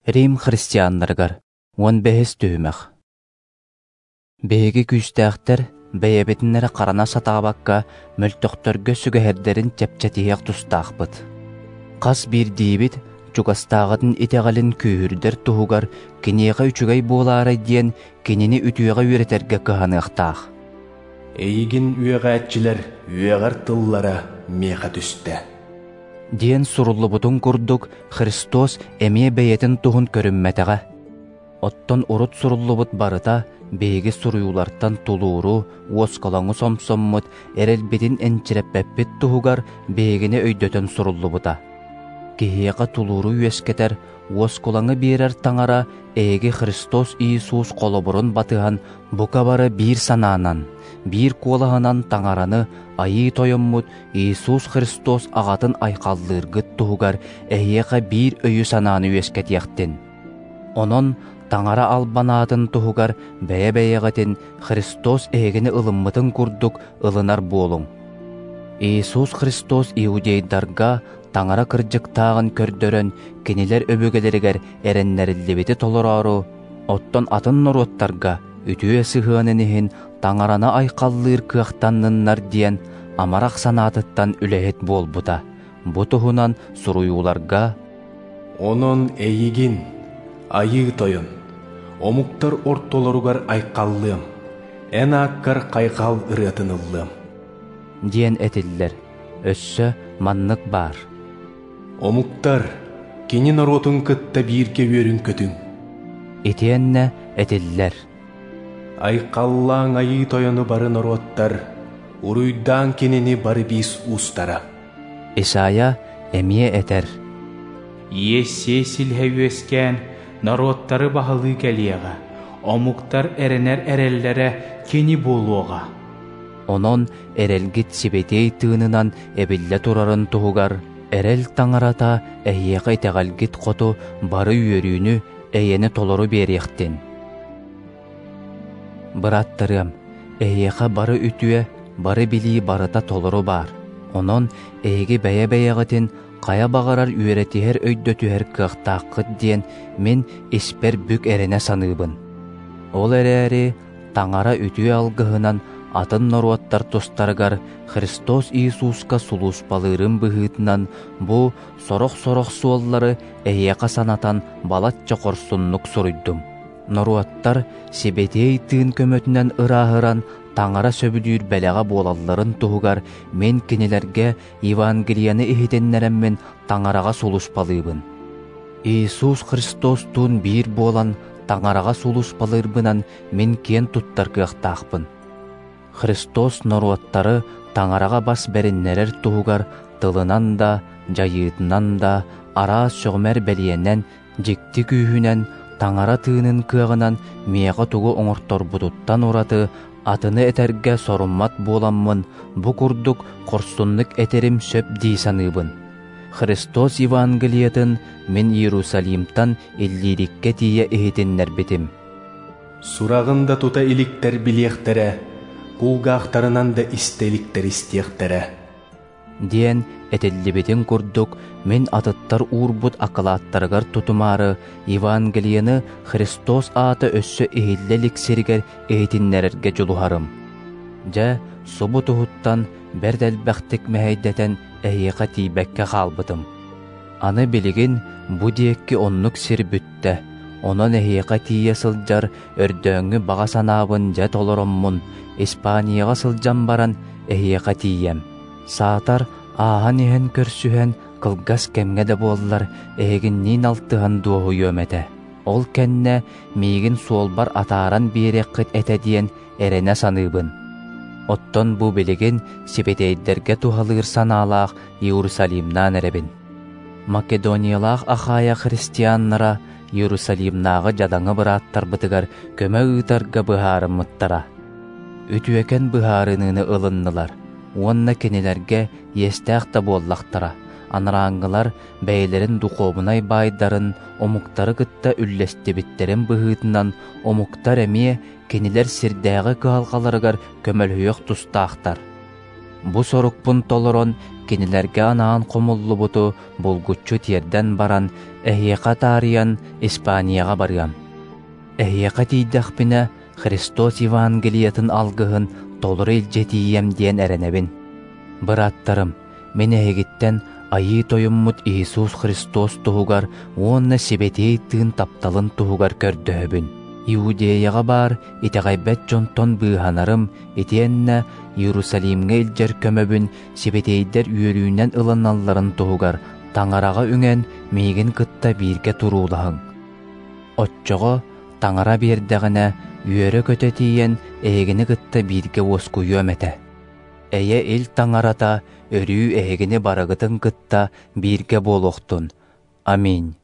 Рим христианнарыгар 15 түһүмэх. Биһиги күүстээхтэр бэйэбитин эрэ харана сатаабакка мөлтөхтөргө сүгэһэрдэрин чэпчэтиһиэх тустаахпыт. Хас биирдиибит чугастааҕытын итэҕэлин күүһүрдэр туһугар киниэхэ үчүгэй буолаарай диэн кинини үтүөҕэ үөрэтэргэ кыһаныахтаах. Эйигин үөҕээччилэр үөҕэр тыллара миэхэ түстэ. Диэн суруллубутун курдук Христос эмиэ бэйэтин туһун көрүммэтэҕэ. Оттон урут суруллубут барыта биһиги суруйуулартан тулууру, уоскалаҥы сомсоммут, эрэлбитин энчирэппэппит туһугар биһигини өйдөтөн суруллубута. Киһиэхэ тулууру үөскэтэр, уоскулаҥы биэрэр Таҥара эһиги Христос Иисус холобурун батыһан бука бары биир санаанан, биир куолаһынан Таҥараны Айыы Тойоммут Иисус Христос аҕатын айхаллыыргыт туһугар эһиэхэ биир өйү-санааны үөскэтиэхтин. Онон Таҥара албан аатын туһугар бэйэ-бэйэҕитин Христос эһигини ылыммытын курдук ылынар буолуҥ. Иисус Христос иудейдарга Таҥара кырдьыктааҕын көрдөрөн кинилэр өбүгэлэригэр эрэннэриллибити толороору, оттон атын норуоттарга үтүө сыһыанын иһин Таҥараны айхаллыыр кыахтанныннар диэн амарах санаатыттан үлэһит буолбута. Бу туһунан суруйууларга «Онон эйигин, Айыы Тойон, омуктар ортолоругар айхаллыам, эн ааккар хайҕал ырыатын ыллыам» диэн этиллэр. Өссө маннык баар. Омуктар, кини норуотун кытта бииргэ үөрүн-көтүҥ. Итиэннэ этиллэр. Айхаллааҥ Айыы Тойону бары норуоттар, уруйдааҥ кинини бары биис уустара. Исайя эмиэ этэр. Иессей силиһэ үөскээн, норуоттары баһылыы кэлиэҕэ, омуктар эрэнэр эрэллэрэ кини буолуоҕа. Онон эрэлгит сибэтиэй тыынынан эбиллэ турарын туһугар эрэл Таҥарата эһиэхэ итэҕэлгит хоту бары үөрүүнү, эйэни толору биэриэхтин. Бырааттарыам, эһиэхэ бары үтүө, бары билии барыта толору баар. Онон эһиги бэйэ-бэйэҕитин хайа баҕарар үөрэтиһэр өйдөтүһэр кыахтааххыт диэн мин испэр бүк эрэнэ саныыбын. Ол эрээри Таҥара үтүө алгыһынан атын норуоттар тустарыгар Христос Иисуска сулууспалыырым быһыытынан бу сорох-сорох суоллары эһиэхэ санатан балачча хорсуннук суруйдум. Норуоттар Сибэтиэй Тыын көмөтүнэн ырааһыран Таҥара сөбүлүүр бэлэҕэ буолалларын туһугар мин кинилэргэ Евангелиены иһитиннэрэммин Таҥараҕа сулууспалыыбын. Иисус Христостуун биир буолан Таҥараҕа сулууспалыырбынан мин киэн туттар кыахтаахпын. Христос норуоттары Таҥараҕа бас бэриннэрэр туһугар тылынан да, дьайыытынан да, араас сөҕүмэр бэлиэнэн, дьикти күүһүнэн, Таҥара тыынын кыаҕынан миэхэ тугу оҥорторбутуттан ураты атыны этэргэ соруммат буоламмын, бу курдук хорсуннук этэрим сөп дии саныыбын. Христос Евангелиетын мин Иерусалимтан Иллириккэ тиийэ иһитиннэрбитим. Сураҕын да тута иликтэр билиэхтэрэ, кулгаахтарынан да истэ иликтэр истиэхтэрэ. Диэн этиллибитин курдук, мин атыттар уурбут акылааттарыгар тутумаары Евангелиены Христос аата өссө иһиллэ илик сиригэр иһитиннэрэргэ дьулуһарым. Дьэ, субу туһуттан бэрт элбэхтик мэһэйдэтэн эһиэхэ тиийбэккэ хаалбытым. Аны билигин бу диэки оннук сир бүттэ, онон эһиэхэ тиийэ сылдьар өрдөөҥҥү баҕа санаабын дьэ толороммун, Испанияҕа сылдьан баран эһиэхэ тиийэм. Саатар ааһан иһэн көрсүһэн, кылгас кэмҥэ да буоллар, эһигинниин алтыһан дуоһуйуом этэ. Ол кэннэ миигин суолбар атааран биэриэххит этэ диэн эрэнэ саныыбын. Оттон бу билигин сибэтиэйдэргэ туһалыыр санаалаах Иерусалимнаан эрэбин. Македониялаах Ахайя христианнара Иерусалимнааҕы дьадаҥы бырааттарбытыгар көмө ыытарга быһаарыммыттара. Үтүөкэн быһаарыныыны ылыннылар уонна кинилэргэ иэстээх да буоллахтара, анарааҥҥылар бэйэлэрин духуобунай баайдарын омуктары кытта үллэстибиттэрин быһыытынан омуктар эмиэ кинилэр сирдээҕи кыһалҕаларыгар көмөлөһүөх тустаахтар. Бу сорукпун толорон, кинилэргэ анаан хомуллубуту булгуччу тиэрдэн баран, эһиэхэ таарыйан Испанияҕа барыам. Эһиэхэ тиийдэхпинэ, Христос Евангелиетын алгыһын толору илдьэ тиийиэм диэн эрэнэбин. Бырааттарым, мин эһигиттэн Айыы Тойоммут Иисус Христос туһугар уонна Сибэтиэй Тыын тапталын туһугар көрдөһөбүн. Иудеяҕа баар итэҕэйбэт дьонтон быыһанарым итиэннэ Иерусалимҥа илдьэр көмөбүн сибэтиэйдэр үөрүүнэн ылыналларын туһугар Таҥараҕа үҥэн миигин кытта бииргэ туруулаһыҥ. Оччоҕо Таҥара биэрдэҕинэ үөрэ-көтө тиийэн эһигини кытта бииргэ уоскуйуом этэ. Эйэ-ил Таҥарата өрүү эһигини барыгытын кытта бииргэ буолуохтун. Аминь.